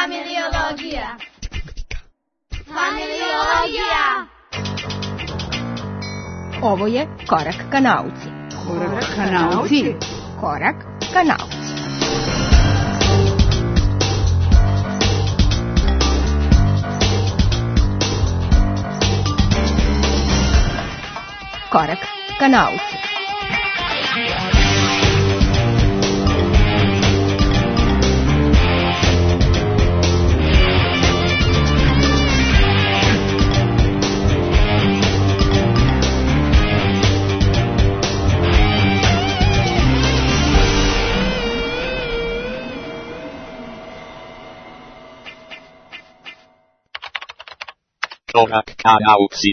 Familiologija. Familiologija. Ovo je Korak ka nauci. Korak ka nauci. Korak ka nauci. Korak ka nauci. Korak ka nauci.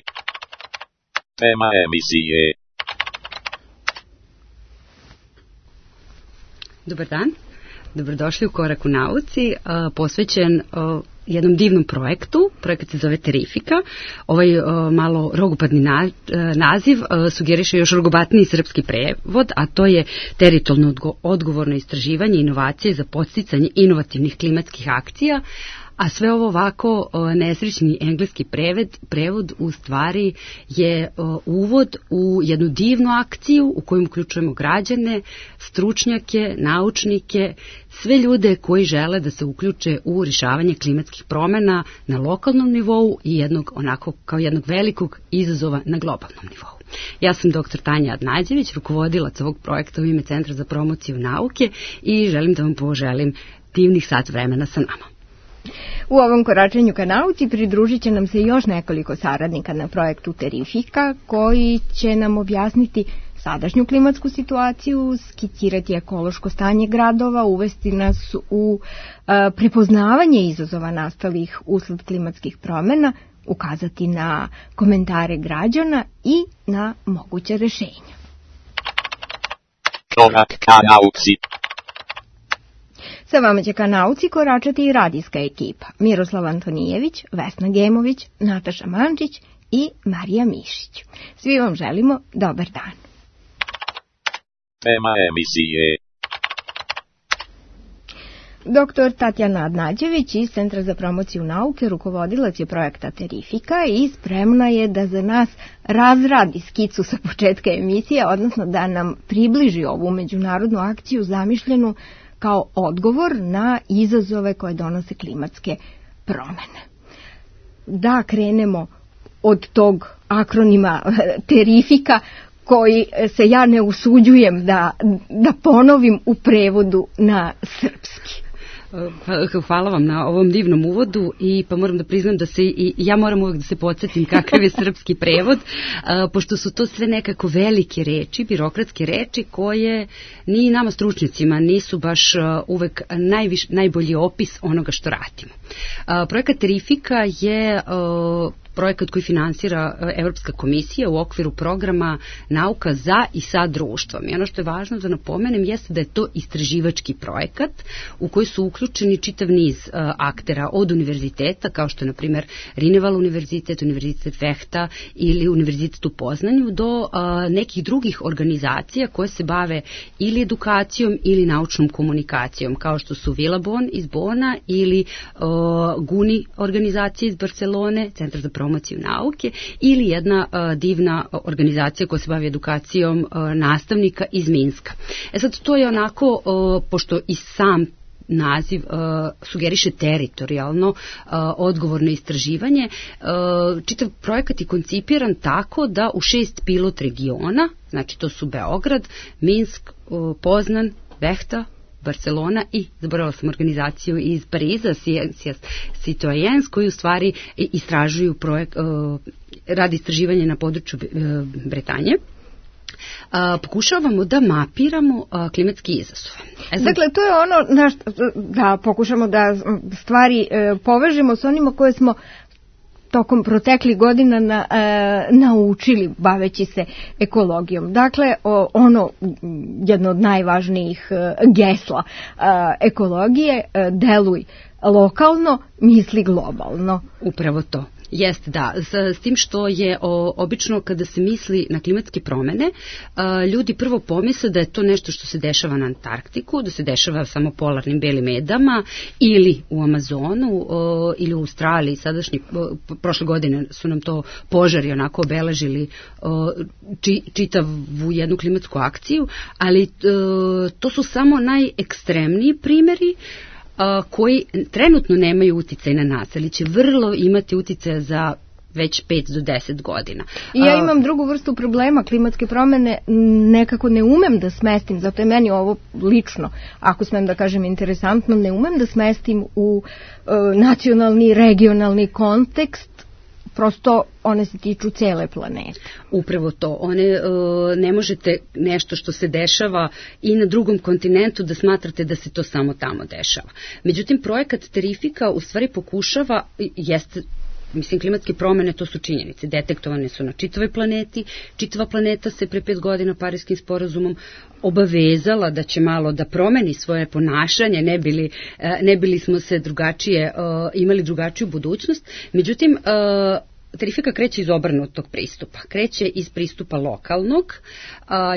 Tema emisije. Dobar dan, dobrodošli u Korak u nauci, posvećen jednom divnom projektu. Projekat se zove Terrifika. Ovaj malo rogopadni naziv sugeriše još rogobatniji srpski prevod, a to je teritorijalno odgovorno istraživanje inovacije za podsticanje inovativnih klimatskih akcija. A sve ovo ovako nesrećni engleski prevod u stvari je uvod u jednu divnu akciju u kojoj uključujemo građane, stručnjake, naučnike, sve ljude koji žele da se uključe u rješavanje klimatskih promjena na lokalnom nivou i jednog velikog izazova na globalnom nivou. Ja sam dr. Tanja Adnađević, rukovodilac ovog projekta u ime Centra za promociju nauke i želim da vam poželim divnih sat vremena sa nama. U ovom koračenju ka nauci pridružit će nam se još nekoliko saradnika na projektu Terrifika koji će nam objasniti sadašnju klimatsku situaciju, skicirati ekološko stanje gradova, uvesti nas u prepoznavanje izazova nastalih usled klimatskih promjena, ukazati na komentare građana i na moguće rješenja. Korak ka nauci. Sa vama će ka nauci koračati i radijska ekipa. Miroslav Antonijević, Vesna Gemović, Nataša Mančić i Marija Mišić. Svi vam želimo dobar dan. Tema emisije. Dr. Tatjana Adnađević iz Centra za promociju nauke, rukovodilac je projekta Terrifika i spremna je da za nas razradi skicu sa početka emisije, odnosno da nam približi ovu međunarodnu akciju zamišljenu kao odgovor na izazove koje donose klimatske promjene. Da krenemo od tog akronima Terrifika koji se ja ne usuđujem da ponovim u prevodu na srpski. Hvala vam na ovom divnom uvodu i pa moram da priznam da se i ja moram uvek da se podsjetim kakav je srpski prevod, pošto su to sve nekako velike reči, birokratske reči koje ni nama stručnjacima nisu baš uvek najbolji opis onoga što radimo. Projekat Terrifika je projekat koji finansira Evropska komisija u okviru programa Nauka za i sa društvom. I ono što je važno da napomenem jeste da je to istraživački projekat u koji su uključeni čitav niz aktera od univerziteta, kao što je na primjer Rineval univerzitet, Univerzitet Vehta ili Univerzitet u Poznanju, do nekih drugih organizacija koje se bave ili edukacijom ili naučnom komunikacijom, kao što su Vilabon iz Bona ili GUNI organizacija iz Barcelone, Centar za promociju nauke, ili jedna divna organizacija koja se bavi edukacijom nastavnika iz Minska. Sad to je onako, pošto i sam naziv sugeriše teritorijalno odgovorno istraživanje, čitav projekat je koncipiran tako da u 6 pilot regiona, znači to su Beograd, Minsk, Poznan, Vehta, Barcelona i, zaboravila sam organizaciju iz Pariza, Citoyens, koji u stvari istražuju radi istraživanja na području Bretanje. Pokušavamo da mapiramo klimatski izazove. Dakle, to je ono da pokušamo da stvari povežemo s onima koje smo tokom proteklih godina naučili baveći se ekologijom. Dakle, jedno od najvažnijih gesla ekologije, deluj lokalno, misli globalno. Upravo to. Jeste, da. S tim što je obično kada se misli na klimatske promene, ljudi prvo pomisle da je to nešto što se dešava na Antarktiku, da se dešava samo polarnim belim medama ili u Amazonu ili u Australiji. Prošle godine su nam to požari onako obeležili čitavu jednu klimatsku akciju, ali to su samo najekstremniji primjeri koji trenutno nemaju uticaj na nas, ali će vrlo imati uticaja za već 5 do 10 godina. I ja imam drugu vrstu problema, klimatske promene nekako ne umem da smestim, zato je meni ovo lično, ako smem da kažem interesantno, ne umem da smestim u nacionalni, regionalni kontekst, prosto one se tiču cele planete. Upravo to. Ne možete nešto što se dešava i na drugom kontinentu da smatrate da se to samo tamo dešava. Međutim, projekat Terrifica u stvari pokušava, klimatske promene, to su činjenice, detektovane su na čitavoj planeti, čitava planeta se pre 5 godina Pariskim sporazumom obavezala da će malo da promeni svoje ponašanje, ne bili smo se imali drugačiju budućnost. Međutim, Terrifica kreće iz obrnutog pristupa, kreće iz pristupa lokalnog,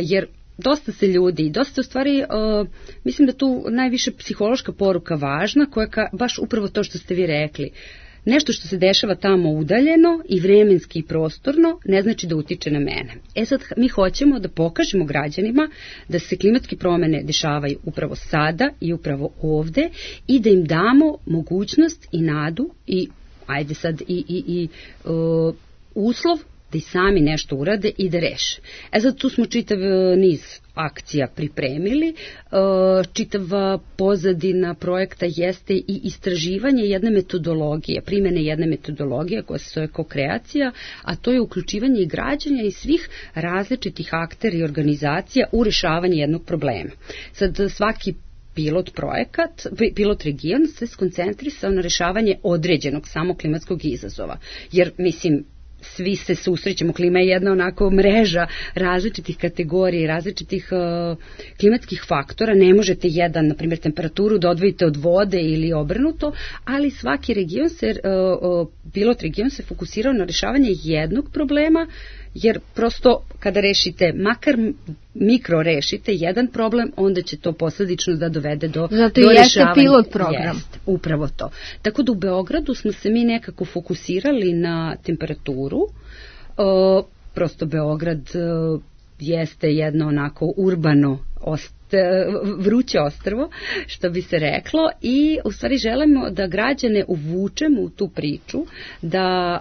jer dosta se ljudi, dosta u stvari, mislim da tu najviše psihološka poruka važna, koja baš upravo to što ste vi rekli, nešto što se dešava tamo udaljeno i vremenski i prostorno ne znači da utiče na mene. Sad mi hoćemo da pokažemo građanima da se klimatske promene dešavaju upravo sada i upravo ovde i da im damo mogućnost i nadu i uslov da i sami nešto urade i da reše. Sad tu smo čitav niz akcija pripremili, čitava pozadina projekta jeste i istraživanje jedne metodologije, primjene jedne metodologije koja se zove kokreacija, a to je uključivanje i građanja i svih različitih aktera i organizacija u rešavanje jednog problema. Sad svaki pilot region se skoncentrisao na rešavanje određenog samo klimatskog izazova. Jer, svi se susrećemo, klima je jedna onako mreža različitih kategorija, različitih klimatskih faktora. Ne možete na primjer, temperaturu da odvojite od vode ili obrnuto, ali svaki region pilot region se fokusirao na rešavanje jednog problema, jer prosto kada rešite, makar mikro rešite jedan problem, onda će to posledično da dovede do rešavanja. Zato jeste pilot program. Upravo to. Tako da u Beogradu smo se mi nekako fokusirali na temperaturu. Prosto Beograd jeste jedno onako urbano vruće ostrvo, što bi se reklo, i u stvari želimo da građane uvučemo u tu priču, da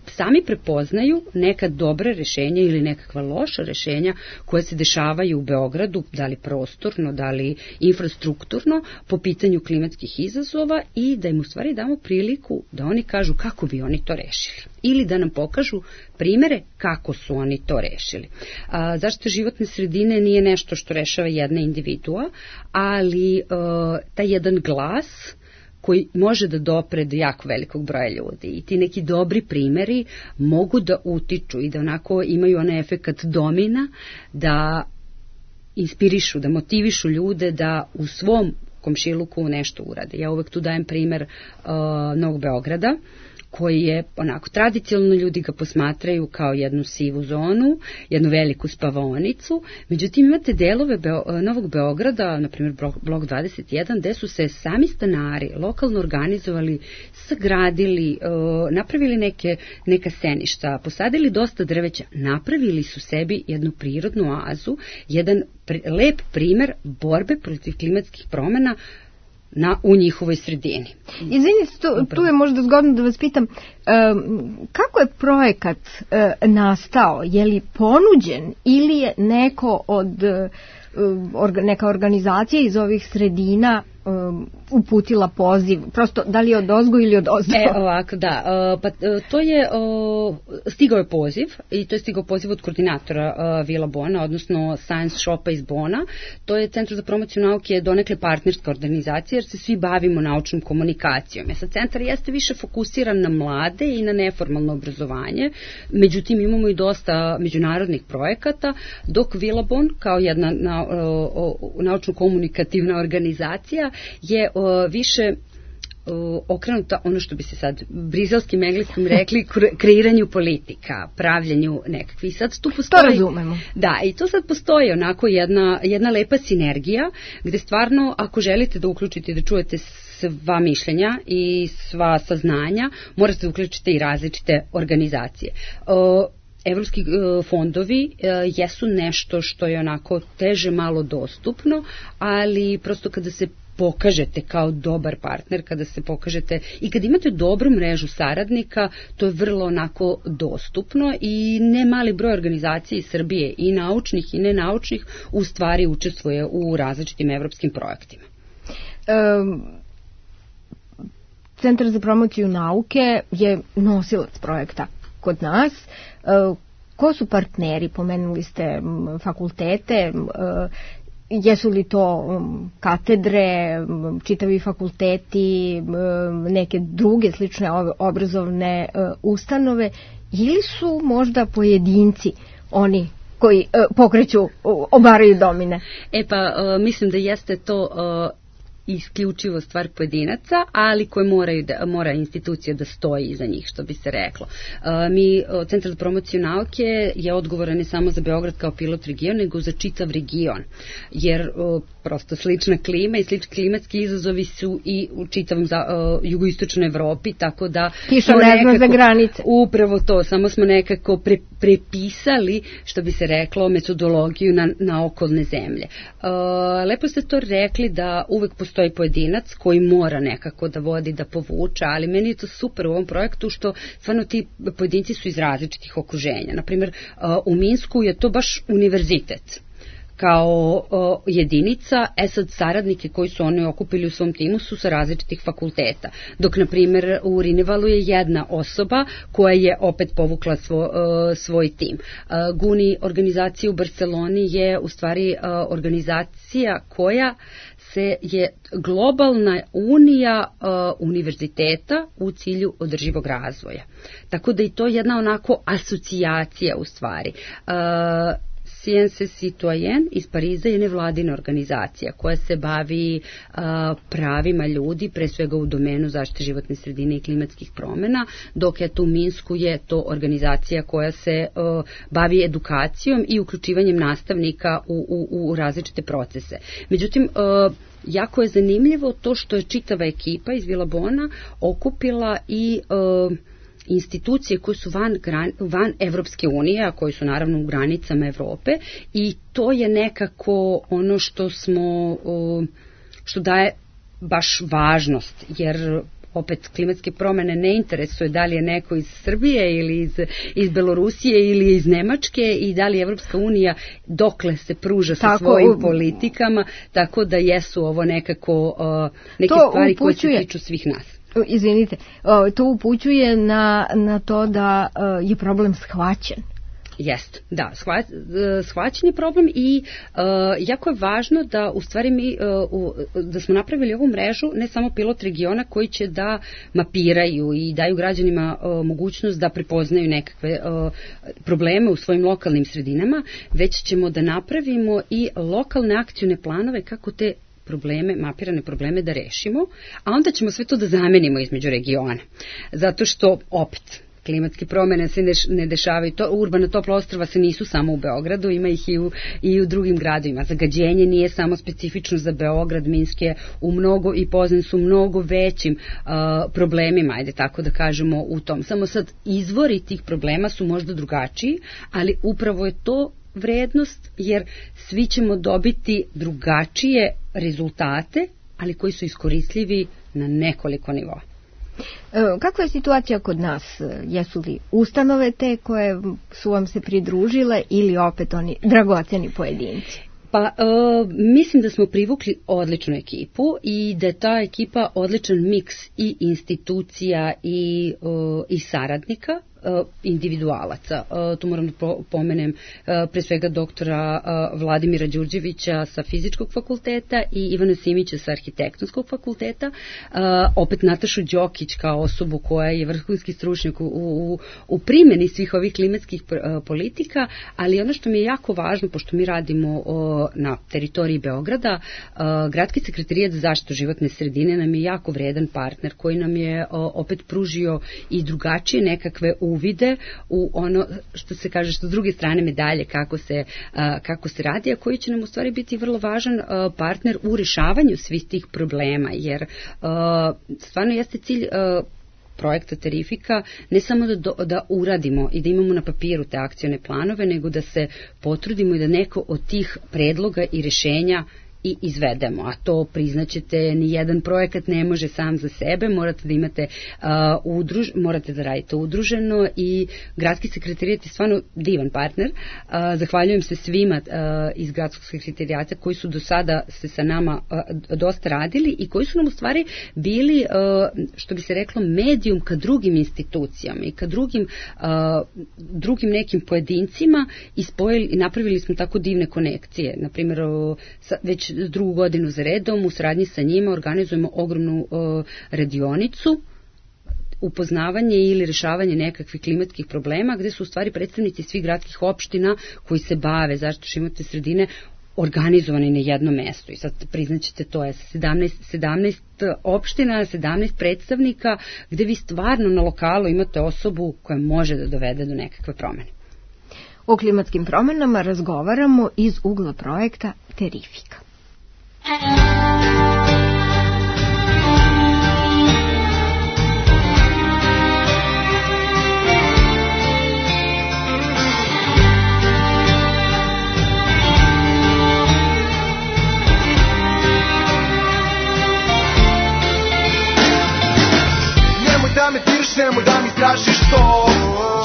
sami prepoznaju neka dobra rešenja ili nekakva loša rešenja koje se dešavaju u Beogradu, da li prostorno, da li infrastrukturno, po pitanju klimatskih izazova i da im u stvari damo priliku da oni kažu kako bi oni to rešili. Ili da nam pokažu primere kako su oni to rešili. Zaštita životne sredine nije nešto što rešava jedna individua, ali taj jedan glas koji može da dopre do jako velikog broja ljudi. I ti neki dobri primeri mogu da utiču i da onako imaju onaj efekat domina, da inspirišu, da motivišu ljude da u svom komšiluku nešto urade. Ja uvek tu dajem primer Novog Beograda, koji je onako tradicionalno ljudi ga posmatraju kao jednu sivu zonu, jednu veliku spavaonicu. Međutim, imate delove Novog Beograda, na primjer blok 21, gde su se sami stanari lokalno organizovali, sagradili, napravili neka seništa, posadili dosta drveća, napravili su sebi jednu prirodnu oazu, jedan lep primer borbe protiv klimatskih promena u njihovoj sredini. Izvinite, tu je možda zgodno da vas pitam, kako je projekat nastao? Je li ponuđen ili je neka organizacija iz ovih sredina uputila poziv? Prosto, da li je od ozgo ili od ozdo? Ovako, da. To je, stigao je poziv i to je stigao poziv od koordinatora Vila Bona, odnosno Science Shopa iz Bona. To je Centar za promociju nauke, donekle partnerska organizacija, jer se svi bavimo naučnom komunikacijom. Sad, centar jeste više fokusiran na mlade i na neformalno obrazovanje, međutim imamo i dosta međunarodnih projekata, dok Vila Bon, kao jedna naučno-komunikativna organizacija, je više okrenuta, ono što bi se sad brizelskim engleskim rekli, kreiranju politika, pravljanju nekakvih. Sad tu postoji, to razumemo. Da, i to sad postoji onako jedna lepa sinergija, gde stvarno, ako želite da uključite i da čujete sva mišljenja i sva saznanja, morate da uključite i različite organizacije. Evropski fondovi jesu nešto što je onako teže malo dostupno, ali prosto kada se pokažete kao dobar partner, kada se pokažete i kada imate dobru mrežu saradnika, to je vrlo onako dostupno i ne mali broj organizacija iz Srbije, i naučnih i nenaučnih, u stvari učestvuje u različitim evropskim projektima. Centar za promociju nauke je nosilac projekta kod nas. Ko su partneri? Pomenuli ste fakultete, jesu li to katedre, čitavi fakulteti, neke druge slične obrazovne ustanove, ili su možda pojedinci oni koji pokreću, obaraju domine? Mislim da jeste to isključivo stvar pojedinaca, ali koje mora institucija da stoji iza njih, što bi se reklo. Centar za promociju nauke je odgovoran ne samo za Beograd kao pilot region, nego za čitav region, jer prosto slična klima i slični klimatski izazovi su i u čitavom jugoistočnoj Evropi, tako da kiša ne zna za granice. Upravo to, samo smo nekako prepisali, što bi se reklo, metodologiju na okolne zemlje. Lepo ste to rekli da uvek postoji pojedinac koji mora nekako da vodi, da povuče, ali meni je to super u ovom projektu što stvarno ti pojedinci su iz različitih okruženja. Naprimer, u Minsku je to baš univerzitet kao jedinica, sad saradnike koji su oni okupili u svom timu su sa različitih fakulteta. Dok, na primjer, u Rinevalu je jedna osoba koja je opet povukla svoj tim. GUNI organizacija u Barceloni je u stvari organizacija koja je globalna unija univerziteta u cilju održivog razvoja. Tako da i to je jedna onako asocijacija u stvari. Sciences Citoyen iz Pariza je nevladina organizacija koja se bavi pravima ljudi, pre svega u domenu zaštite životne sredine i klimatskih promena, dok je tu u Minsku je to organizacija koja se bavi edukacijom i uključivanjem nastavnika u različite procese. Međutim, jako je zanimljivo to što je čitava ekipa iz Vilabona okupila i institucije koje su van Evropske unije, a koje su naravno u granicama Evrope, i to je nekako ono što daje baš važnost, jer opet klimatske promene ne interesuje da li je neko iz Srbije ili iz Belorusije ili iz Nemačke i da li Evropska unija dokle se pruža sa svojim politikama, tako da jesu ovo nekako neke stvari koje se tiču svih nas. Izvinite, to upućuje na to da je problem shvaćen. Jest, da, shvaćen je problem i jako je važno da u stvari mi da smo napravili ovu mrežu, ne samo pilot regiona koji će da mapiraju i daju građanima mogućnost da prepoznaju nekakve probleme u svojim lokalnim sredinama, već ćemo da napravimo i lokalne akcione planove kako te mapirane probleme da rešimo, a onda ćemo sve to da zamenimo između regiona. Zato što, opet, klimatske promene se ne dešavaju, urbana topla ostrva se nisu samo u Beogradu, ima ih i u drugim gradovima. Zagađenje nije samo specifično za Beograd, Minsk je i Poznań su mnogo većim problemima, ajde tako da kažemo, u tom. Samo sad izvori tih problema su možda drugačiji, ali upravo je to vrednost, jer svi ćemo dobiti drugačije rezultate, ali koji su iskoristljivi na nekoliko nivoa. Kakva je situacija kod nas? Jesu li ustanove te koje su vam se pridružile ili opet oni dragoceni pojedinci? Mislim da smo privukli odličnu ekipu i da je ta ekipa odličan miks i institucija i saradnika. individualaca. Tu moram da pomenem pre svega doktora Vladimira Đurđevića sa Fizičkog fakulteta i Ivana Simića sa Arhitektonskog fakulteta, opet Natašu Đokić kao osobu koja je vrhunski stručnjak u primjeni svih ovih klimatskih politika, ali ono što mi je jako važno, pošto mi radimo na teritoriji Beograda, Gradski sekretarijat za zaštitu životne sredine nam je jako vredan partner koji nam je opet pružio i drugačije nekakve uvide u ono što se kaže što s druge strane medalje kako se radi, a koji će nam u stvari biti vrlo važan partner u rešavanju svih tih problema, jer stvarno jeste cilj projekta Terrifica ne samo da uradimo i da imamo na papiru te akcione planove, nego da se potrudimo i da neko od tih predloga i rešenja i izvedemo, a to priznaćete, ni jedan projekat ne može sam za sebe, morate da imate morate da radite udruženo i Gradski sekretarijat je stvarno divan partner. Zahvaljujem se svima iz Gradskog sekretarijata koji su do sada se sa nama dosta radili i koji su nam u stvari bili, što bi se reklo, medijum ka drugim institucijama i ka drugim nekim pojedincima i napravili smo tako divne konekcije. Na primjer, već drugu godinu za redom u saradnji sa njima organizujemo ogromnu radionicu upoznavanje ili rešavanje nekakvih klimatskih problema, gde su u stvari predstavnici svih gradskih opština koji se bave zaštitom životne sredine organizovani na jednom mestu. I sad priznaćete, to je 17 opština, 17 predstavnika, gde vi stvarno na lokalu imate osobu koja može da dovede do nekakve promene. O klimatskim promenama razgovaramo iz ugla projekta Terrifica. Nemoj da me diriš, nemoj da mi strašiš to.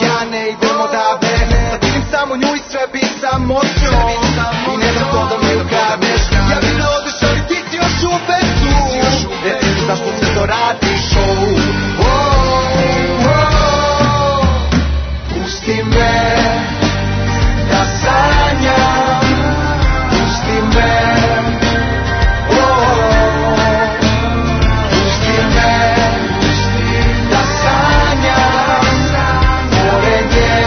Ja ne idem odavde, sad vidim samo nju i sve bi samo s njom. I ne dam to da mi ukradneš. Ja bih da odeš, ali ti si još uvek tu. Reci mi zašto se to radiš, pusti me da sanjam, pusti me, pusti me da sanjam, pored nje.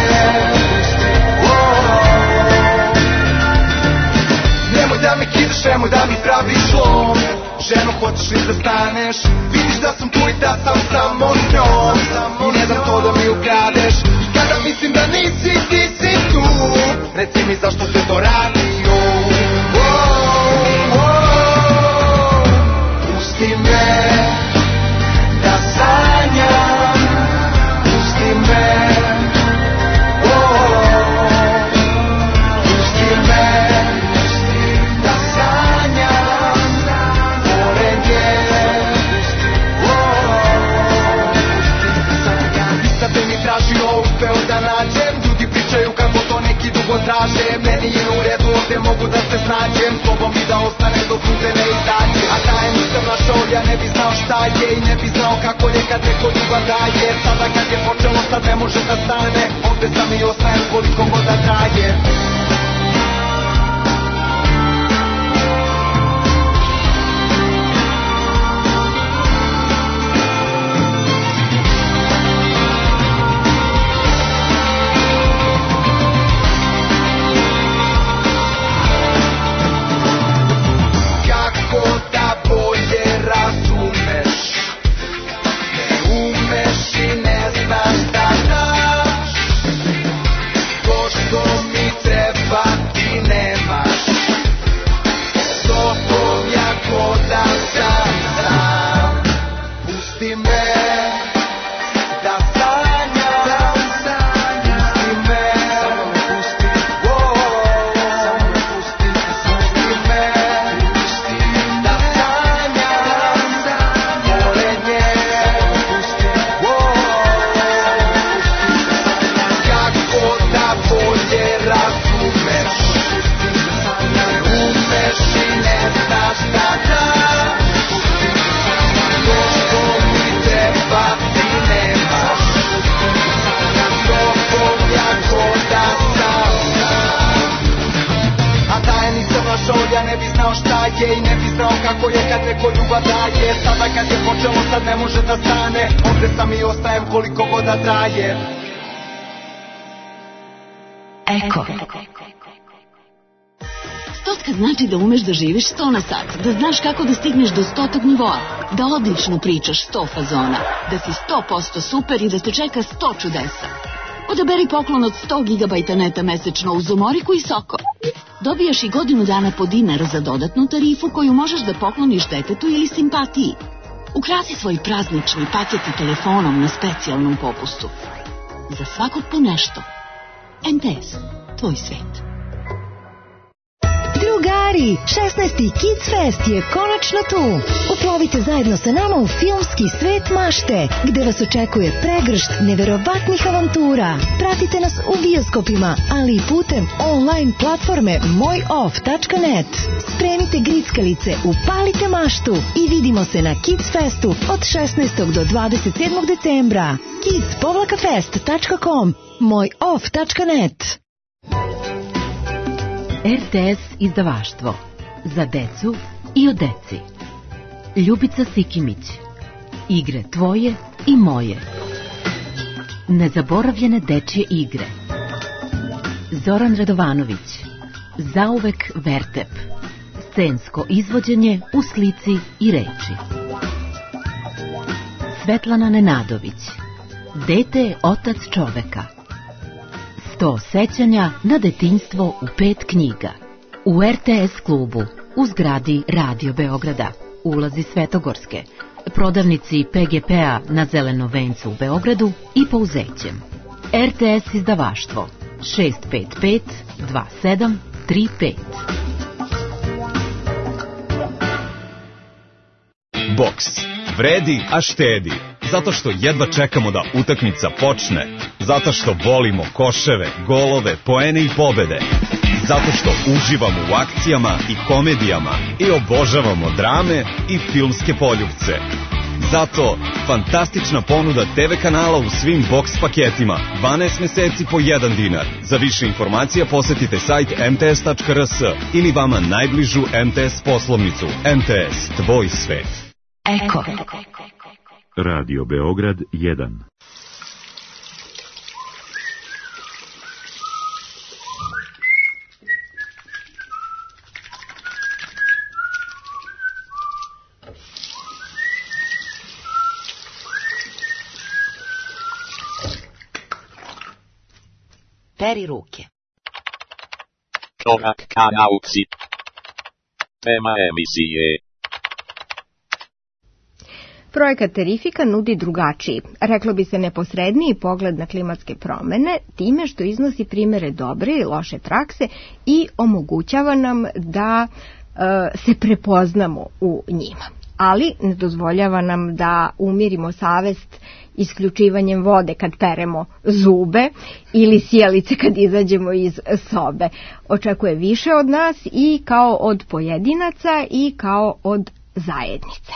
Nemoj da me kidaš, nemoj da mi praviš lom. Ženo, hoćeš li da staneš? Vidiš da sam tu i da sam samo s njom. I ne dam to da mi ukradeš. I kada mislim da nisi, ti si tu. Reci mi zašto se to radi. Pusti me da sanjam, pusti me, pusti me da sanjam pored nje. Nisam te mi tražio, uspeo da nađem. Ljudi pričaju kako to neki dugo traže. Meni je u redu, ovdje mogu da se snađem. Slobom mi da ostane dok ruke ne izađe. A taj nisam našao, ja ne bi znao šta je. I ne bi znao kako je kad neko ljubav daje. Sada kad je počelo, sad ne može da stane. Ovdje sam i ostajem koliko god da traje. Treba znao kako je kad neko ljubav daje. Sada kad je počelo sad ne može da stane. Ovde sam i ostajem koliko god da traje. Eko. Stotka znači da umeš da živiš 100 na sat, da znaš kako da stigneš do 100. nivoa, da odlično pričaš 100 fazona, da si 100% super i da te čeka 100 čudesa. Odaberi poklon od 100 GB neta mesečno uz umoriku i soko. Dobijaš i godinu dana po dinar za dodatnu tarifu koju možeš da pokloniš detetu ili simpatiji. Ukrasi svoj praznični paket i telefonom na specijalnom popustu. Za svakog po nešto. MTS, tvoj svet. Drugari, 16. Kids Fest je konačno tu. Uplovite zajedno sa nama u filmski svet mašte, gde vas očekuje pregršt neverovatnih avantura. Pratite nas u bioskopima, ali i putem online platforme mojoff.net. Spremite grickalice, upalite maštu i vidimo se na Kids Festu od 16. do 27. decembra. kids-fest.com, mojoff.net. RTS izdavaštvo. Za decu i o deci. Ljubica Sikimić. Igre tvoje i moje. Nezaboravljene dečje igre. Zoran Radovanović. Zauvek Vertep. Scensko izvođenje u slici i reči. Svetlana Nenadović. Dete je otac čoveka. 100 sećanja na detinjstvo u 5 knjiga. U RTS klubu, u zgradi Radio Beograda, ulazi Svetogorske, prodavnici PGP-a na Zelenom vencu u Beogradu i Pouzećem. RTS izdavaštvo 655 2735. Boks. Vredi, a štedi. Zato što jedva čekamo da utakmica počne. Zato što volimo koševe, golove, poene i pobede. Zato što uživamo u akcijama i komedijama i obožavamo drame i filmske poljupce. Zato fantastična ponuda TV kanala u svim boks paketima. 12 meseci po 1 dinar. Za više informacija posetite sajt mts.rs ili vama najbližu MTS poslovnicu. MTS, tvoj svet. Eko. Radio Beograd 1. Peri ruke. Korak ka nauci. Tema emisije. Projekat Terrifika nudi drugačiji, reklo bi se neposredniji pogled na klimatske promene, time što iznosi primere dobre i loše prakse i omogućava nam da se prepoznamo u njima. Ali ne dozvoljava nam da umirimo savest isključivanjem vode kad peremo zube ili sjelice kad izađemo iz sobe. Očekuje više od nas i kao od pojedinaca i kao od zajednice.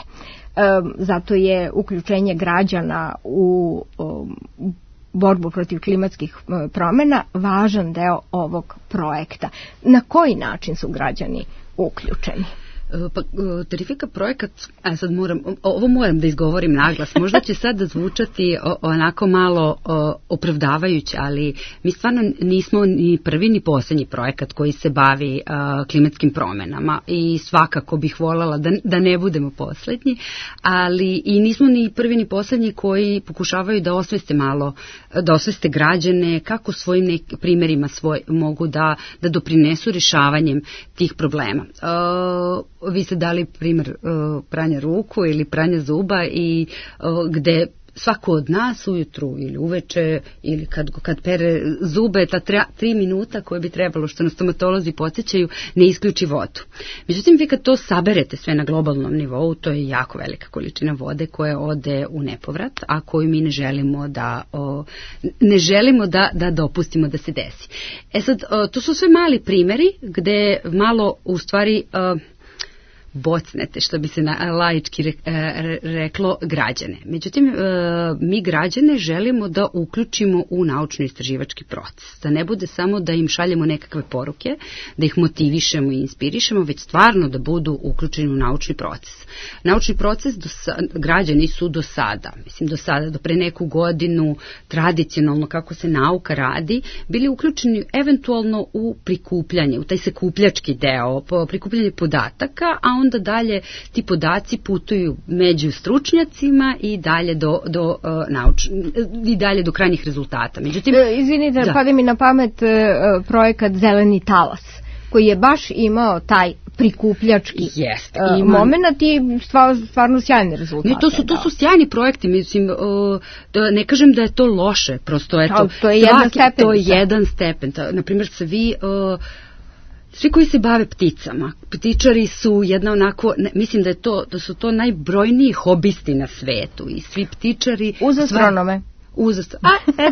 Zato je uključenje građana u borbu protiv klimatskih promjena važan deo ovog projekta. Na koji način su građani uključeni? Pa, Terrifika projekat, sad ovo moram da izgovorim naglas, možda će sad da zvučati onako malo opravdavajuće, ali mi stvarno nismo ni prvi ni posljednji projekat koji se bavi klimatskim promjenama i svakako bih voljela da ne budemo posljednji, ali i nismo ni prvi ni posljednji koji pokušavaju da osveste građane kako svojim primjerima mogu da doprinesu rješavanjem tih problema. Vi ste dali primjer pranja ruku ili pranja zuba i gde svako od nas ujutru ili uveče ili kad pere zube, ta 3 minuta koje bi trebalo, što nas stomatolozi podsjećaju, ne isključi vodu. Međutim, vi kad to saberete sve na globalnom nivou, to je jako velika količina vode koja ode u nepovrat, a koju mi ne želimo da dopustimo da se desi. To su sve mali primjeri gde malo u stvari bocnete, što bi se laički reklo, građane. Međutim, mi građane želimo da uključimo u naučno-istraživački proces. Da ne bude samo da im šaljemo nekakve poruke, da ih motivišemo i inspirišemo, već stvarno da budu uključeni u naučni proces. Naučni proces građani su do sada, do pre neku godinu, tradicionalno kako se nauka radi, bili uključeni eventualno u prikupljanje, u taj sekupljački deo, prikupljanje podataka, a onda dalje ti podaci putuju među stručnjacima i dalje do krajnjih rezultata. Međutim, izvinite, pada mi na pamet projekat Zeleni talas, koji je baš imao taj prikupljački moment i stvarno sjajni rezultate. To su sjajni projekti, mislim, ne kažem da je to loše, prosto eto, to je jedan stepen. Naprimjer, svi koji se bave pticama, ptičari su jedna onako, mislim da su to najbrojniji hobisti na svetu i svi ptičari... Uz astronome.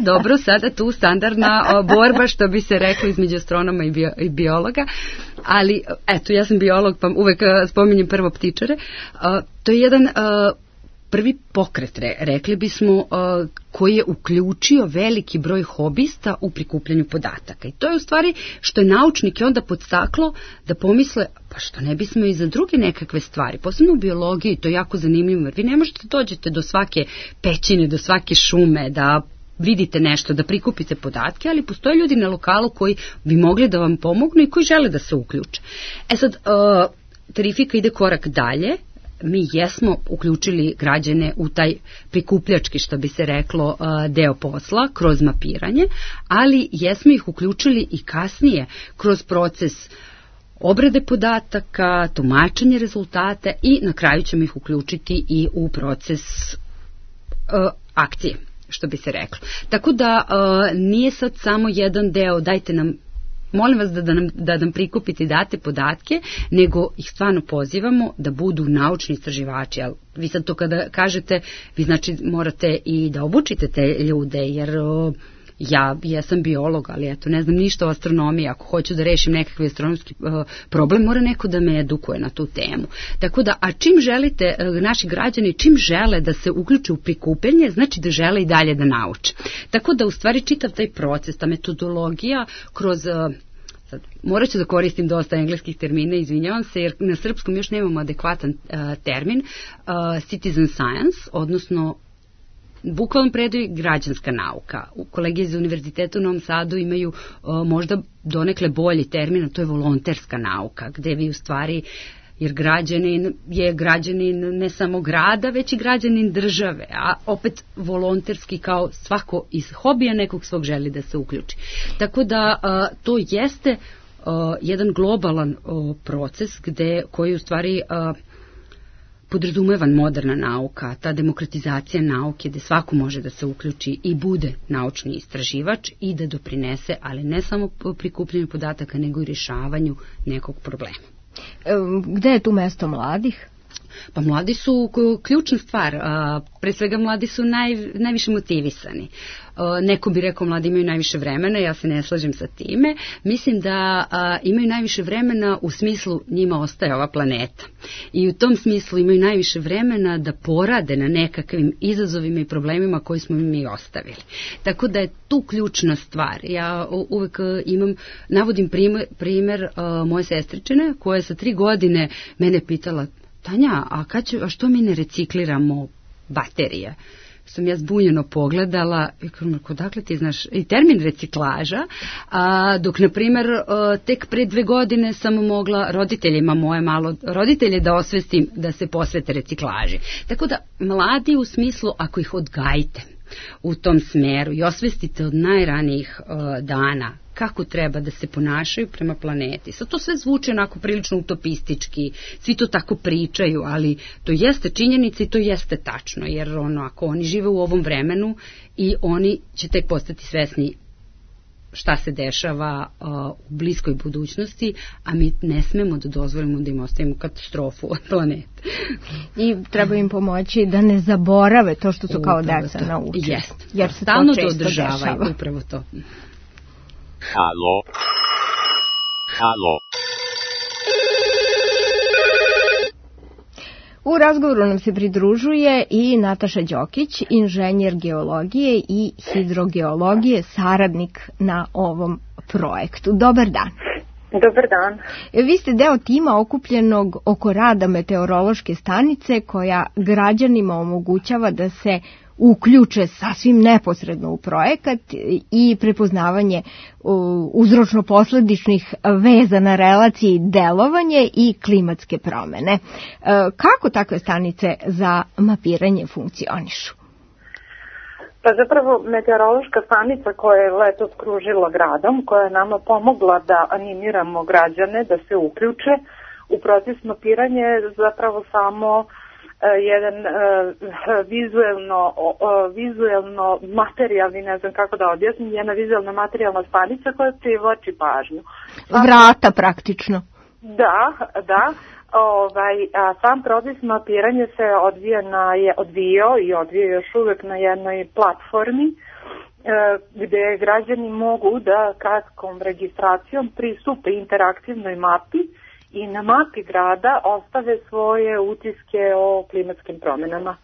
Dobro, sada tu standardna borba, što bi se reklo, između astronoma i biologa, ali eto, ja sam biolog, pa uvek spominjem prvo ptičare. To je jedan prvi pokret, rekli bismo, koji je uključio veliki broj hobista u prikupljanju podataka. I to je u stvari što je naučnike onda podstaklo da pomisle, pa što ne bismo i za druge nekakve stvari, posebno u biologiji, to je jako zanimljivo, jer vi ne možete dođete do svake pećine, do svake šume, da vidite nešto, da prikupite podatke, ali postoje ljudi na lokalu koji bi mogli da vam pomognu i koji žele da se uključe. Sad, Terrifika ide korak dalje. Mi jesmo uključili građane u taj prikupljački, što bi se reklo, deo posla kroz mapiranje, ali jesmo ih uključili i kasnije kroz proces obrade podataka, tumačenje rezultata i na kraju ćemo ih uključiti i u proces akcije, što bi se reklo. Tako da nije sad samo jedan deo, dajte nam, molim vas da nam prikupite i date podatke, nego ih stvarno pozivamo da budu naučni istraživači. Ali vi sad to kada kažete, vi znači morate i da obučite te ljude, jer ja sam biolog, ali eto, ne znam ništa o astronomiji. Ako hoću da rešim nekakvi astronomski problem, mora neko da me edukuje na tu temu. Tako da, a čim želite, naši građani, čim žele da se uključe u prikupljanje, znači da žele i dalje da nauče. Tako da, u stvari, čitav taj proces, ta metodologija kroz... Sad, morat ću da koristim dosta engleskih termina, izvinjavam se, jer na srpskom još nemamo adekvatan termin, citizen science, odnosno bukvalno predaju građanska nauka. Kolege iz Univerziteta u Novom Sadu imaju možda donekle bolji termin, a to je volonterska nauka, gde vi u stvari, jer građanin je građanin ne samo grada, već i građanin države, a opet volonterski kao svako iz hobija nekog svog želi da se uključi. Tako da to jeste jedan globalan proces koji u stvari podrazumeva moderna nauka, ta demokratizacija nauke gde svako može da se uključi i bude naučni istraživač i da doprinese, ali ne samo prikupljanju podataka, nego i rješavanju nekog problema. Gde je tu mesto mladih? Pa mladi su ključna stvar, pre svega mladi su najviše motivisani. Neko bi rekao mladi imaju najviše vremena, ja se ne slažem sa time. Mislim da imaju najviše vremena u smislu njima ostaje ova planeta. I u tom smislu imaju najviše vremena da porade na nekakvim izazovima i problemima koji smo mi ostavili. Tako da je tu ključna stvar. Ja uvek navodim primer moje sestričine koja je sa 3 godine mene pitala: Tanja, a što mi ne recikliramo baterije? Sam ja zbunjeno pogledala i kako, dakle ti znaš i termin reciklaža, dok na primjer tek pre 2 godine sam mogla roditeljima roditelje da osvestim da se posvete reciklaži. Tako da mladi u smislu, ako ih odgajite u tom smeru i osvestite od najranijih dana kako treba da se ponašaju prema planeti. Sad to sve zvuči onako prilično utopistički, svi to tako pričaju, ali to jeste činjenica i to jeste tačno, jer ako oni žive u ovom vremenu i oni će tek postati svesni šta se dešava u bliskoj budućnosti, a mi ne smemo da dozvolimo da im ostavimo katastrofu od planete. I treba im pomoći da ne zaborave to što su kao deca naučili. Jeste. Jer se stalno to često dešava. Upravo to. Halo. U razgovoru nam se pridružuje i Nataša Đokić, inženjer geologije i hidrogeologije, saradnik na ovom projektu. Dobar dan. Dobar dan. Vi ste deo tima okupljenog oko rada meteorološke stanice koja građanima omogućava da se uključe sasvim neposredno u projekat i prepoznavanje uzročno-posledičnih veza na relaciji delovanje i klimatske promene. Kako takve stanice za mapiranje funkcionišu? Pa zapravo meteorološka stanica koja je letos kružila gradom, koja je nama pomogla da animiramo građane da se uključe u proces mapiranja, je zapravo samo jedan vizuelno materijalni, ne znam kako da objasnim, jedna vizuelna materijalna stanica koja privlači pažnju. Vrata praktično. Da. Sam proces mapiranja se odvijao i odvija još uvek na jednoj platformi gde građani mogu da kratkom registracijom pristupe interaktivnoj mapi i na mapi grada ostave svoje utiske o klimatskim promenama.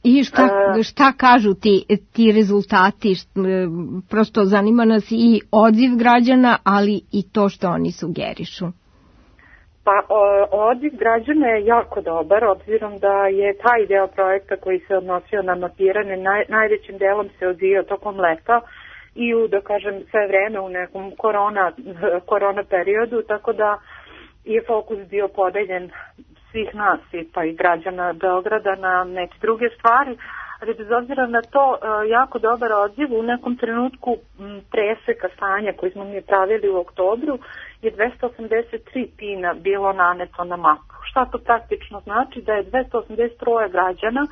I šta kažu ti rezultati? Prosto zanima nas i odziv građana, ali i to što oni sugerišu. Pa odziv građana je jako dobar, obzirom da je taj deo projekta koji se odnosio na mapiranje najvećim delom se odvijao tokom leta i da kažem sve vreme u nekom korona periodu, tako da je fokus bio podeljen svih nas pa i građana Beograda na neke druge stvari, ali bez obzira na to jako dobar odziv. U nekom trenutku preseka stanja koji smo mi pravili u oktobru je 283 pina bilo naneto na mapu. Šta to praktično znači? Da je 283 građana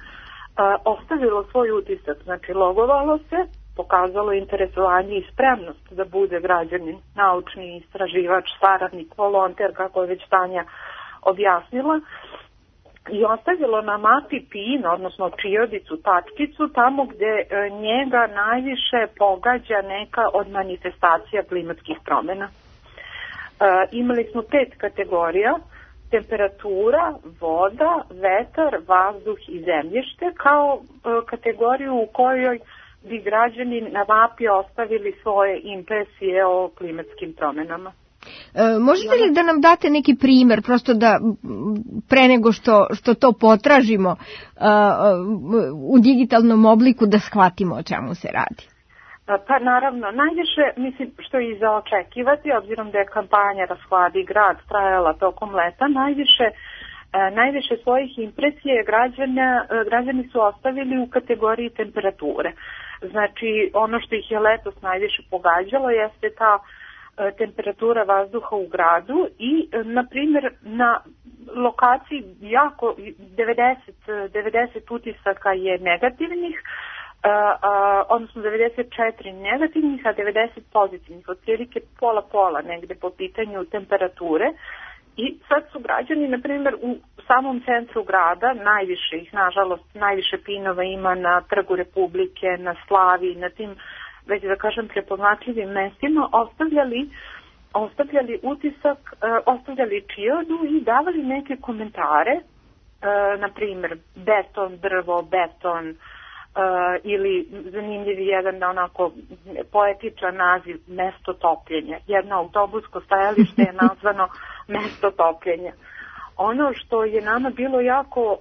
ostavilo svoj utisak, znači logovalo se, pokazalo interesovanje i spremnost da bude građanin, naučni istraživač, saradnik, volonter, kako je već Tanja objasnila, i ostavilo na mapi pin, odnosno čiodicu, tačkicu, tamo gde njega najviše pogađa neka od manifestacija klimatskih promena. Imali smo 5 kategorija: temperatura, voda, vetar, vazduh i zemljište, kao kategoriju u kojoj bi građani na mapi ostavili svoje impresije o klimatskim promenama. Možete li da nam date neki primer, prosto da pre nego što to potražimo u digitalnom obliku da shvatimo o čemu se radi? Pa naravno, najviše, mislim, što je i za očekivati, obzirom da je kampanja Rashladi grad trajala tokom leta, najviše svojih impresije građani su ostavili u kategoriji temperature. Znači, ono što ih je letos najviše pogađalo jeste ta temperatura vazduha u gradu i, na primjer, na lokaciji 90 utisaka je negativnih, odnosno 94 negativnih, a 90 pozitivnih, otprilike pola negde po pitanju temperature. I sad su građani, na primjer, u samom centru grada, najviše ih, nažalost, najviše pinova ima na Trgu Republike, na Slavi, na tim, već da kažem, prepoznatljivim mestima, ostavljali utisak, ostavljali čiodu i davali neke komentare, na primjer, beton, drvo, beton, ili zanimljiv jedan onako poetičan naziv, mesto topljenja. Jedno autobusko stajalište je nazvano mesto topljenja. Ono što je nama bilo jako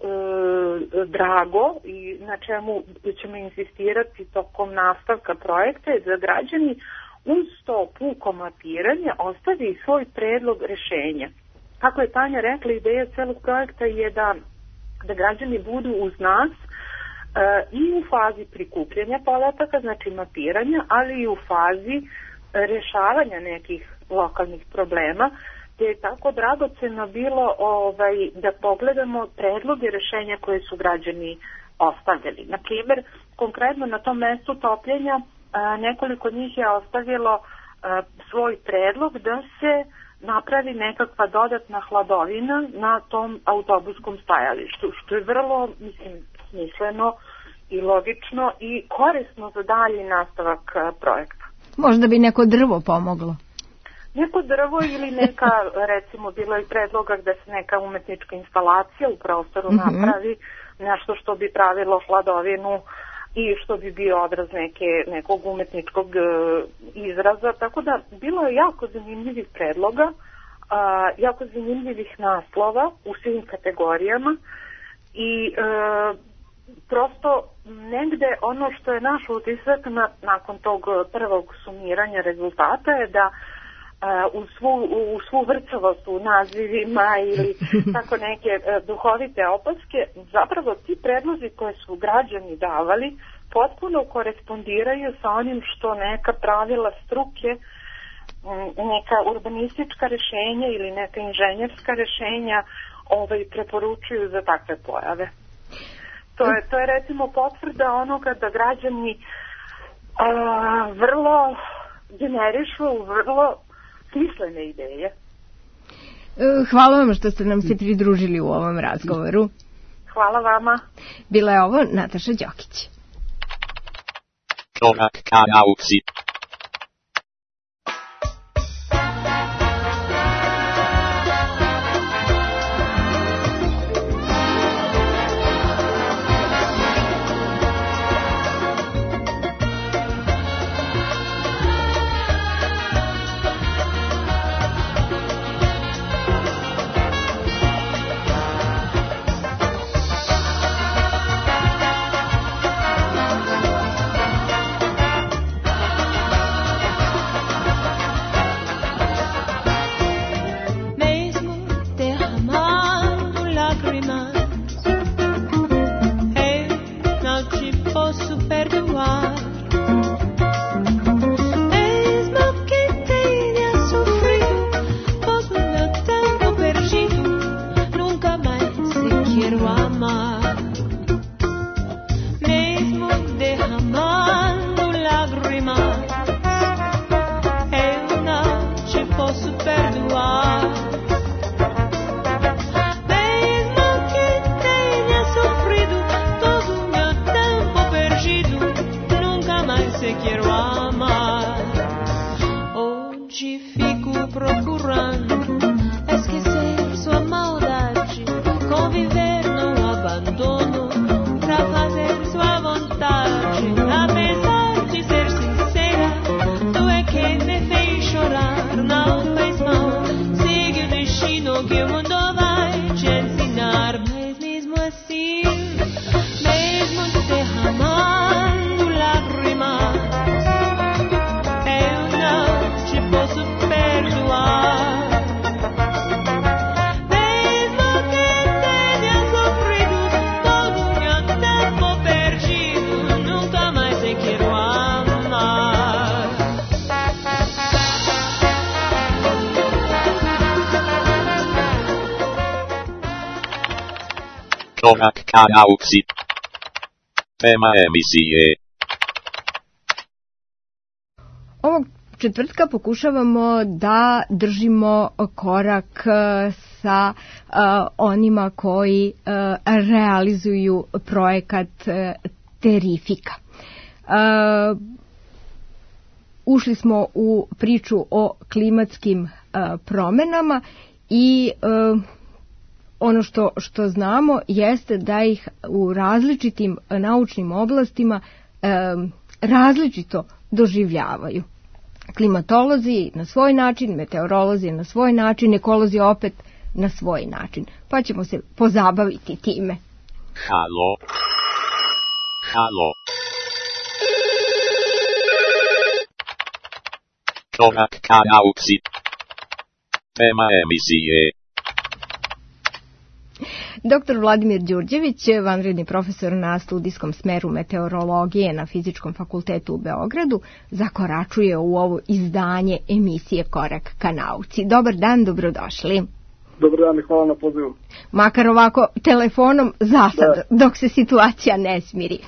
drago i na čemu ćemo insistirati tokom nastavka projekta je da građani uz to puko mapiranje ostavi svoj predlog rešenja. Kako je Tanja rekla, ideja celog projekta je da građani budu uz nas i u fazi prikupljanja podataka, znači mapiranja, ali i u fazi rešavanja nekih lokalnih problema, gdje je tako dragoceno bilo da pogledamo predloge rešenja koje su građani ostavljali. Na primjer, konkretno na tom mestu topljenja nekoliko njih je ostavilo svoj predlog da se napravi nekakva dodatna hladovina na tom autobuskom stajalištu, što je vrlo, smisleno i logično i korisno za dalji nastavak projekta. Možda bi neko drvo pomoglo. neko drvo ili neka, recimo bilo je predloga gde se neka umetnička instalacija u prostoru napravi, nešto što bi pravilo hladovinu i što bi bio odraz nekog umetničkog izraza, tako da bilo je jako zanimljivih predloga, jako zanimljivih naslova u svim kategorijama i prosto negde ono što je naš utisak nakon tog prvog sumiranja rezultata je da u svu vrcavost u nazivima ili tako neke duhovite opaske, zapravo ti predlozi koje su građani davali potpuno korespondiraju sa onim što neka pravila struke, neka urbanistička rešenja ili neka inženjerska rešenja preporučuju za takve pojave. To je recimo potvrda onoga da građani vrlo generišu vrlo smislene ideje. Hvala vam što ste nam se pridružili u ovom razgovoru. Hvala vama. Bila je ovo Nataša Đokić. Korak ka nauci. Korak ka nauci. Tema emisije. Ovog četvrtka pokušavamo da držimo korak sa onima koji realizuju projekat Terrifica. Ušli smo u priču o klimatskim promenama i ono što znamo jeste da ih u različitim naučnim oblastima različito doživljavaju. Klimatolozi na svoj način, meteorolozi na svoj način, ekolozi opet na svoj način. Pa ćemo se pozabaviti time. Halo. Halo. Korak ka nauci. Tema emisije. Dr. Vladimir Đurđević, vanredni profesor na studijskom smeru meteorologije na Fizičkom fakultetu u Beogradu, zakoračuje u ovo izdanje emisije Korak ka nauci. Dobar dan, dobrodošli. Dobar dan i hvala na pozivu. Makar ovako telefonom za sad, dok se situacija ne smiri.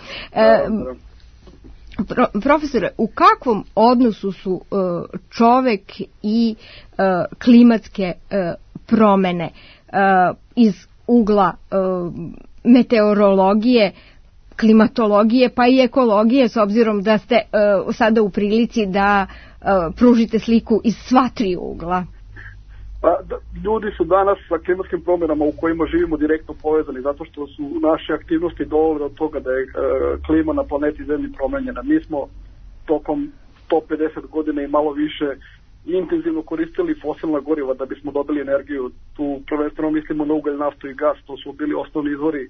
Profesore, u kakvom odnosu su čovek i klimatske promene iz ugla meteorologije, klimatologije pa i ekologije, s obzirom da ste sada u prilici da pružite sliku iz sva tri ugla? Pa, ljudi su danas sa klimatskim promjenama u kojima živimo direktno povezani, zato što su naše aktivnosti dovele do toga da je klima na planeti Zemlji promenjena. Mi smo tokom 150 godina i malo više intenzivno koristili fosilna goriva da bismo dobili energiju. Tu prvenstveno mislimo na ugalj, naftu i gas, to su bili osnovni izvori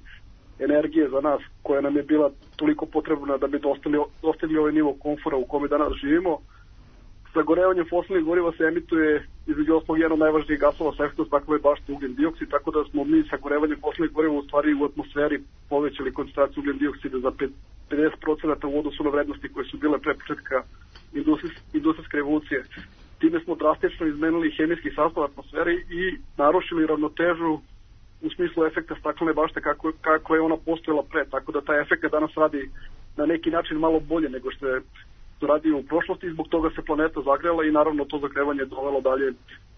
energije za nas, koja nam je bila toliko potrebna da bi dostigli ovaj nivo komfora u kome danas živimo. Sagorevanjem fosilnih goriva se emituje između ostalog jedan od najvažnijih gasova sa efektom staklene bašte ugljen dioksid, tako da smo mi sagorevanjem fosilnih goriva u stvari u atmosferi povećali koncentraciju ugljen dioksida za 50% u odnosu na vrednosti koje su bile pre početka industrijske revolucije. Time smo drastično izmenili hemijski sastav atmosfere i narušili ravnotežu u smislu efekta staklene bašte kako je ona postojala pre, tako da taj efekt danas radi na neki način malo bolje nego što je radio u prošlosti i zbog toga se planeta zagrela i naravno to zagrevanje je dovelo dalje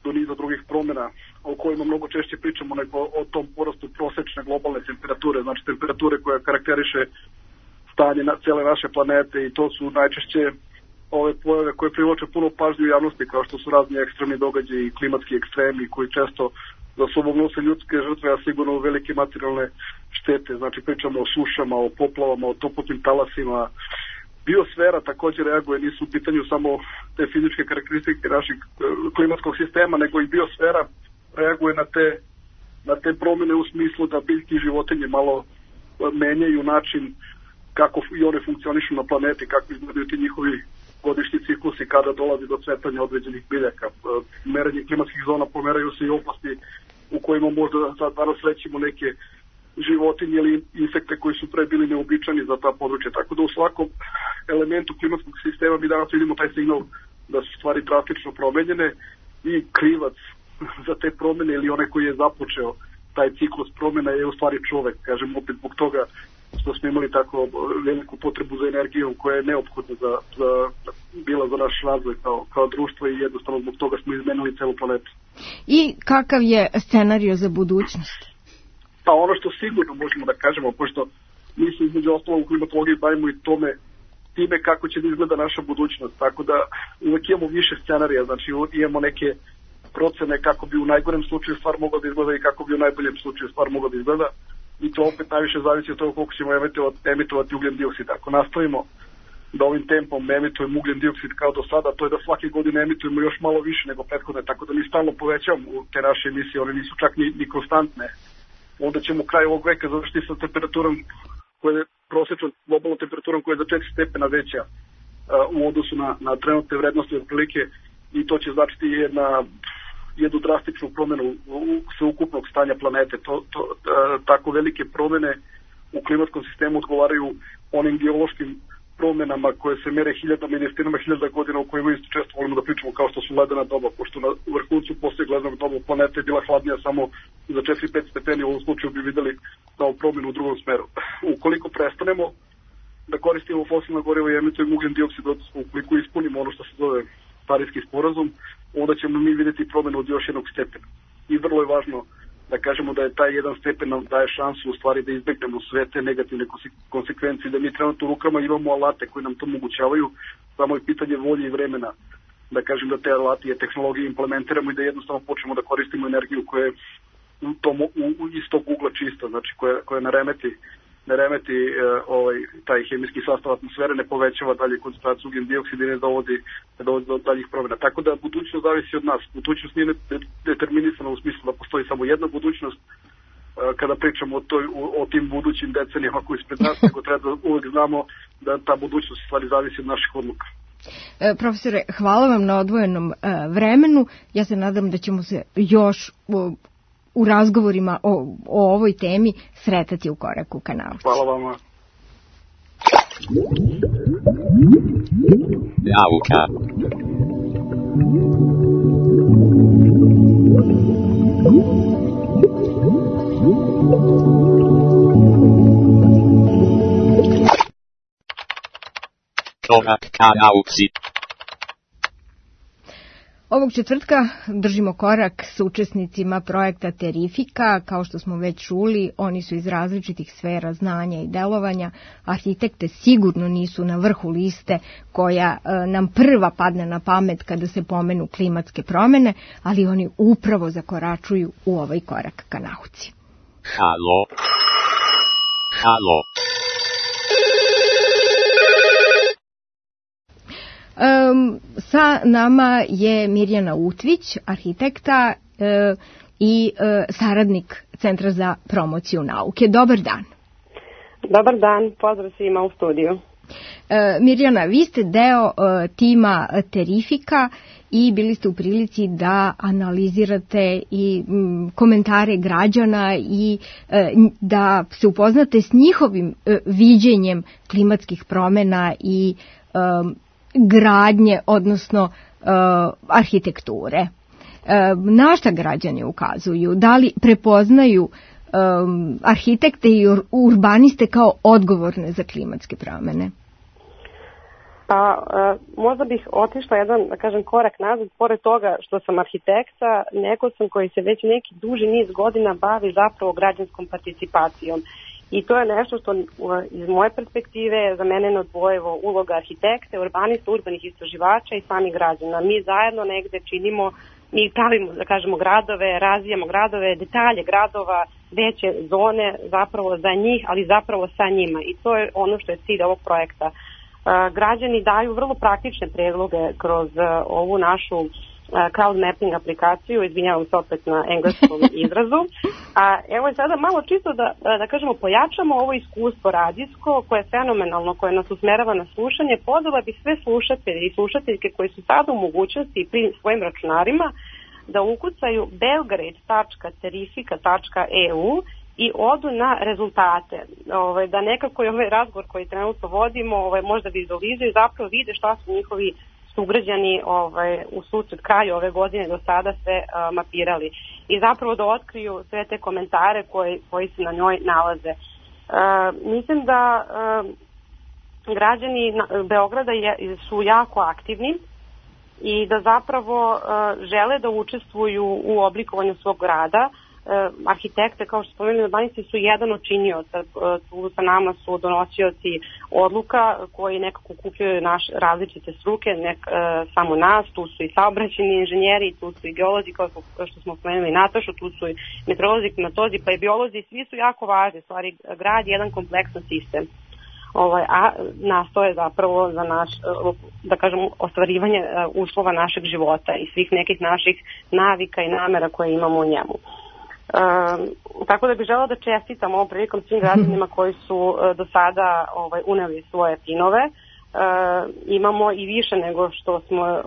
do niza drugih promjena o kojima mnogo češće pričamo nego o tom porastu prosečne globalne temperature, znači temperature koja karakteriše stanje cijele naše planete i to su najčešće ove pojave koje privlače puno pažnje u javnosti kao što su razni ekstremni događaji i klimatski ekstremi koji često za sobom nose ljudske žrtve, a sigurno velike materijalne štete, znači pričamo o sušama, o poplavama, o toplotnim talasima. Biosfera također reaguje, nisu u pitanju samo te fizičke karakteristike našeg klimatskog sistema, nego i biosfera reaguje na te promjene u smislu da biljke i životinje malo menjaju način kako i one funkcionišu na planeti, kako izgledaju ti njihovi godišnji ciklusi kada dolazi do cvetanja određenih biljaka. Merenje klimatskih zona pomeraju se i oblasti u kojima možda sad danas rećemo neke životinje ili insekte koji su pre bili neobičani za ta područja. Tako da u svakom elementu klimatskog sistema mi danas vidimo taj signal da su stvari drastično promenjene i krivac za te promjene ili onaj koji je započeo taj ciklus promjena je u stvari čovek. Kažem opet zbog toga što smo imali tako veliku potrebu za energijom koja je neophodna bila za naš razvoj kao društvo i jednostavno zbog toga smo izmenili celu planetu. I kakav je scenario za budućnost? Pa ono što sigurno možemo da kažemo, pošto mi se između ostalog u klimatologiji bavimo i time kako će da izgleda naša budućnost, tako da uvek imamo više scenarija, znači imamo neke procene kako bi u najgorem slučaju stvar mogla da izgleda i kako bi u najboljem slučaju stvar mogla da izgleda i to opet najviše zavisi od toga koliko ćemo emitovati ugljen dioksid. Ako nastavimo da ovim tempom ne emitujemo ugljen dioksid kao do sada, to je da svake godine emitujemo još malo više nego prethodne, tako da mi stalno povećamo te naše emisije, one nisu čak ni konstantne. Onda ćemo kraj ovog veka završiti sa temperaturom koja je prosječnom globalnom temperaturom koja je za 4 stepena veća u odnosu na trenutne vrednosti otprilike i to će značiti jednu drastičnu promjenu sveukupnog stanja planete. Tako velike promjene u klimatskom sistemu odgovaraju onim geološkim promjenama koje se mere hiljadama i desetinama hiljada godina u kojima isto često volimo da pričamo kao što su ledena doba, pošto na vrhuncu poslije lednog doba planeta je bila hladnija samo za 4-5 stepeni, u ovom slučaju bi videli kao promjenu u drugom smeru. Ukoliko prestanemo da koristimo fosilna goriva i emitujemo ugljen dioksid, ukoliko ispunimo ono što se zove Pariski sporazum, onda ćemo mi vidjeti promjenu od još jednog stepena. I vrlo je važno da kažemo da je taj jedan stepen nam daje šansu u stvari da izbegnemo sve te negativne konsekvencije, da mi trenutno u rukama imamo alate koji nam to omogućavaju, samo je pitanje volje i vremena da kažem da te alati i tehnologije implementiramo i da jednostavno počnemo da koristimo energiju koja je iz tog ugla čista, znači koja ne remeti taj hemijski sastav atmosfere, ne povećava dalje koncentraciju ugljen dioksida i ne dovodi do daljih promjena. Tako da budućnost zavisi od nas. Budućnost nije determinisana u smislu da postoji samo jedna budućnost kada pričamo o tim budućim decenijama koji ispred nas, nego treba da uvijek znamo da ta budućnost stvari zavisi od naših odluka. Profesore, hvala vam na odvojenom vremenu. Ja se nadam da ćemo se još u razgovorima o ovoj temi sretati u koraku ka nauci. Hvala vama. Nauka. Korak ka nauci. Ovog četvrtka držimo korak s učesnicima projekta Terrifika. Kao što smo već čuli, oni su iz različitih sfera znanja i delovanja. Arhitekte sigurno nisu na vrhu liste koja nam prva padne na pamet kada se pomenu klimatske promene, ali oni upravo zakoračuju u ovaj korak ka nauci. Halo. Halo. Sa nama je Mirjana Utvić, arhitekta i saradnik Centra za promociju nauke. Dobar dan. Dobar dan, pozdrav svima u studiju. Mirjana, vi ste deo tima Terrifika i bili ste u prilici da analizirate i komentare građana i da se upoznate s njihovim viđenjem klimatskih promena i gradnje, odnosno arhitekture. Na šta građani ukazuju? Da li prepoznaju arhitekte i urbaniste kao odgovorne za klimatske promene? Pa, možda bih otišla jedan, da kažem, korak nazad. Pored toga što sam arhitekta, neko sam koji se već neki duži niz godina bavi zapravo građanskom participacijom. I to je nešto što iz moje perspektive za mene neodvojivo uloga arhitekte, urbanista, urbanih istraživača i samih građana. Mi zajedno negde činimo, mi pravimo, da kažemo, gradove, razvijamo gradove, detalje gradova, veće zone zapravo za njih, ali zapravo sa njima. I to je ono što je cilj ovog projekta. Građani daju vrlo praktične predloge kroz ovu našu crowd mapping aplikaciju, izvinjavam se opet na engleskom izrazu. A evo sada malo čisto da kažemo, pojačamo ovo iskustvo radijsko koje je fenomenalno, koje nas usmerava na slušanje. Pozvala bi sve slušatelje i slušateljke koji su sada u mogućnosti pri svojim računarima da ukucaju belgrade.terrifika.eu i odu na rezultate. Da nekako je ovaj razgovor koji trenutno vodimo možda vizualizuju i zapravo vide šta su njihovi sugrađani u susret kraju ove godine do sada sve mapirali i zapravo da otkriju sve te komentare koji se na njoj nalaze. Mislim da građani Beograda su jako aktivni i da zapravo žele da učestvuju u oblikovanju svog grada. Arhitekte, kao što spomenuli, urbanisti su jedan od činioca, tu sa nama su donosioci odluka koji nekako kupljaju različite struke, samo nas, tu su i saobraćajni inženjeri, tu su i geolozi, kao što smo spomenuli Natašu, tu su i meteorolozi, klimatozi, pa i biolozi, svi su jako važni, stvari grad je jedan kompleksan sistem. A nastoje zapravo za naš, da kažem, ostvarivanje uslova našeg života i svih nekih naših navika i namera koje imamo u njemu. Tako da bih žela da čestitam ovom prilikom svim građanima koji su do sada uneli svoje pinove. Imamo i više nego što smo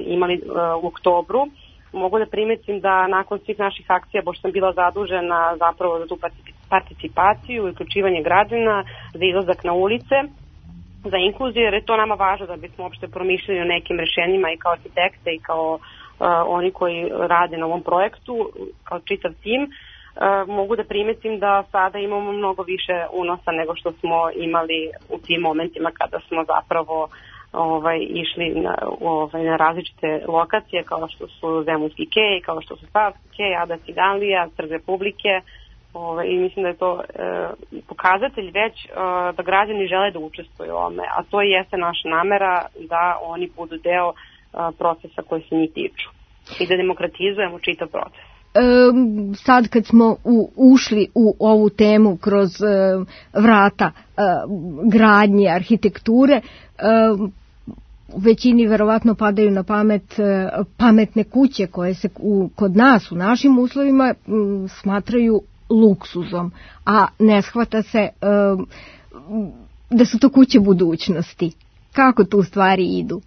imali u oktobru. Mogu da primetim da nakon svih naših akcija, pošto sam bila zadužena zapravo za tu participaciju i uključivanje građana, za izlazak na ulice, za inkluziju, jer je to nama važno da bismo uopšte promišljali o nekim rešenjima i kao arhitekte i kao oni koji rade na ovom projektu, kao čitav tim. Mogu da primetim da sada imamo mnogo više unosa nego što smo imali u tim momentima kada smo zapravo išli na različite lokacije kao što su Zemunski kej, kao što su Savski kej, Ada Ciganlija, Trg Republike, i mislim da je to pokazatelj već da građani žele da učestvuju u ovome, a to jeste naša namera da oni budu deo procesa koji se njih tiču i da demokratizujemo čitav proces. Sad kad smo ušli u ovu temu kroz vrata gradnje, arhitekture, većini verovatno padaju na pamet pametne kuće koje se kod nas u našim uslovima smatraju luksuzom, a ne shvata se da su to kuće budućnosti. Kako tu stvari idu?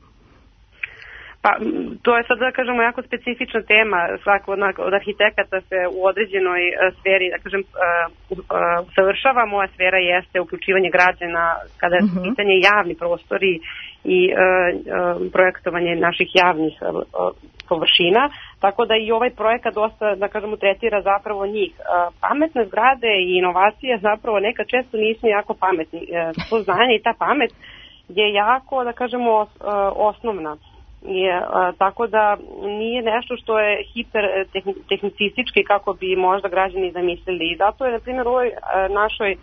Pa, to je sad, da kažemo, jako specifična tema. Svako od arhitekata se u određenoj sferi, da kažem, usavršava. Moja sfera jeste uključivanje građana kada je pitanje javni prostori i projektovanje naših javnih površina. Tako da i ovaj projekat dosta, da kažemo, tretira zapravo njih. Pametne zgrade i inovacije zapravo nekad često nisu jako pametni. To znanje i ta pamet je jako, da kažemo, osnovna. Tako da nije nešto što je hipertehnicistički kako bi možda građani zamislili. I zato je, na primjer, u ovoj našoj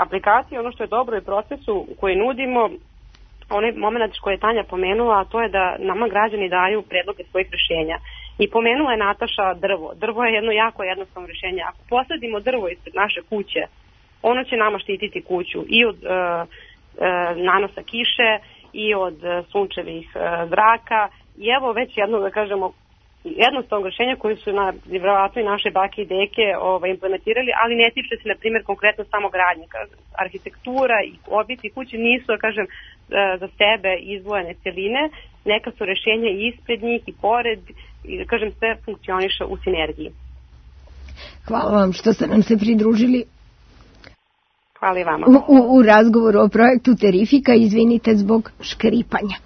aplikaciji ono što je dobro i procesu koji nudimo, onaj moment koji je Tanja pomenula, a to je da nama građani daju predloge svojih rješenja. I pomenula je Nataša drvo. Drvo je jedno jako jednostavno rješenje. Ako posadimo drvo ispred naše kuće, ono će nama štititi kuću i od nanosa kiše i od sunčevih zraka. I evo već jedno, da kažemo, jednostavno rješenja koje su vjerovatno i naše bake i deke implementirali, ali ne tiče se, na primjer, konkretno samo gradnje. Arhitektura i objekti kuće nisu, da kažem, za sebe izdvojene celine. Neka su rješenja i ispred njih i pored, i da kažem, sve funkcioniše u sinergiji. Hvala vam što ste nam se pridružili. Hvala i vama. U razgovoru o projektu Terrifika, izvinite zbog škripanja.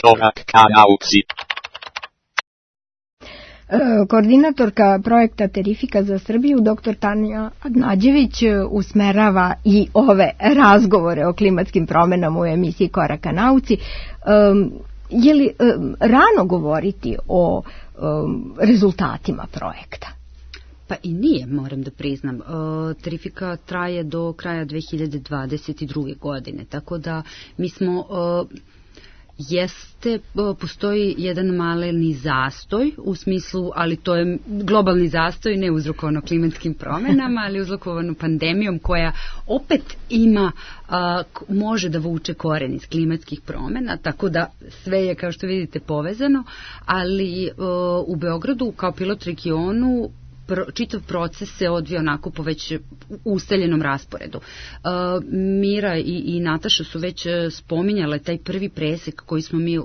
Korak ka nauci. Koordinatorka projekta Terrifika za Srbiju, dr. Tanja Adnađević, usmerava i ove razgovore o klimatskim promenama u emisiji Korak ka nauci. Je li rano govoriti o rezultatima projekta? Pa i nije, moram da priznam. Terrifika traje do kraja 2022. godine, tako da mi smo... postoji jedan maleni zastoj u smislu, ali to je globalni zastoj, ne uzrokovano klimatskim promenama, ali uzrokovano pandemijom koja opet može da vuče koren iz klimatskih promena, tako da sve je, kao što vidite, povezano, ali u Beogradu kao pilot regionu čitav proces se odvija onako po već ustaljenom rasporedu. Mira i Nataša su već spominjale taj prvi presek koji smo mi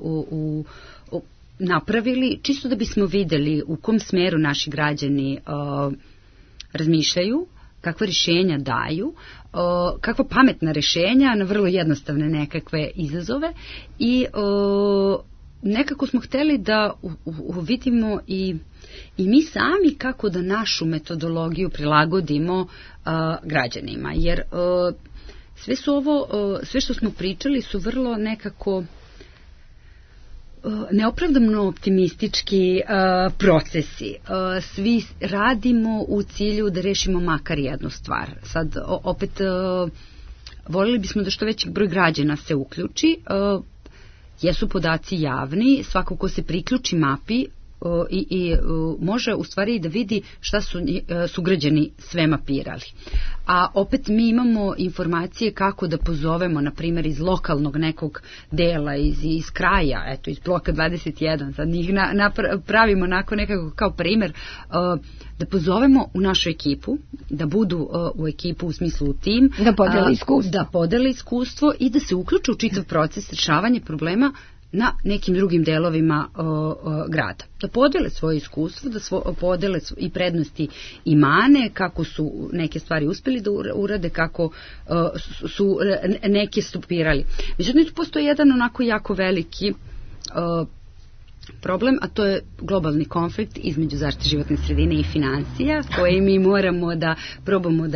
napravili, čisto da bismo videli u kom smeru naši građani razmišljaju, kakva rješenja daju, kakva pametna rješenja na vrlo jednostavne nekakve izazove i nekako smo hteli da vidimo i mi sami kako da našu metodologiju prilagodimo građanima, jer sve što smo pričali su vrlo nekako neopravdano optimistički procesi. Svi radimo u cilju da rešimo makar jednu stvar. Sad opet voljeli bismo da što veći broj građana se uključi. Jesu podaci javni, svako ko se priključi mapi i može u stvari da vidi šta su sugrađani sve mapirali. A opet mi imamo informacije kako da pozovemo, na primjer, iz lokalnog nekog dela, iz kraja, eto, iz bloka 21, sad njih pravimo nekako kao primjer, da pozovemo u našu ekipu, da budu u ekipu u smislu u tim, da podele iskustvo i da se uključe u čitav proces rješavanja problema na nekim drugim delovima grada. Da podele svoje iskustvo, da podele i prednosti i mane, kako su neke stvari uspjeli da urade, kako su neke stopirali. Međutim, tu postoji jedan onako jako veliki problem, a to je globalni konflikt između zaštite životne sredine i financija, koje mi moramo da probamo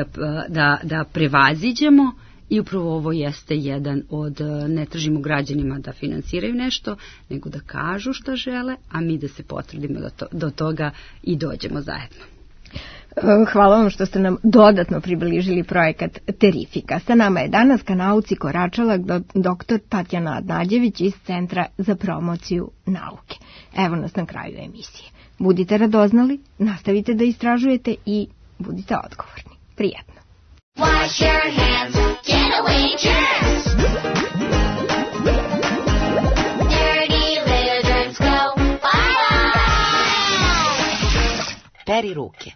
da prevaziđemo. I upravo ovo jeste jedan od, ne tražimo građanima da finansiraju nešto, nego da kažu šta žele, a mi da se potrudimo da do toga i dođemo zajedno. Hvala vam što ste nam dodatno približili projekat Terrifika. Sa nama je danas ka nauci koračala dr. Tatjana Adnađević iz Centra za promociju nauke. Evo nas na kraju emisije. Budite radoznali, nastavite da istražujete i budite odgovorni. Prijetno. Wash your hands, get away germs. Dirty little germs go bye-bye. Peri ruke.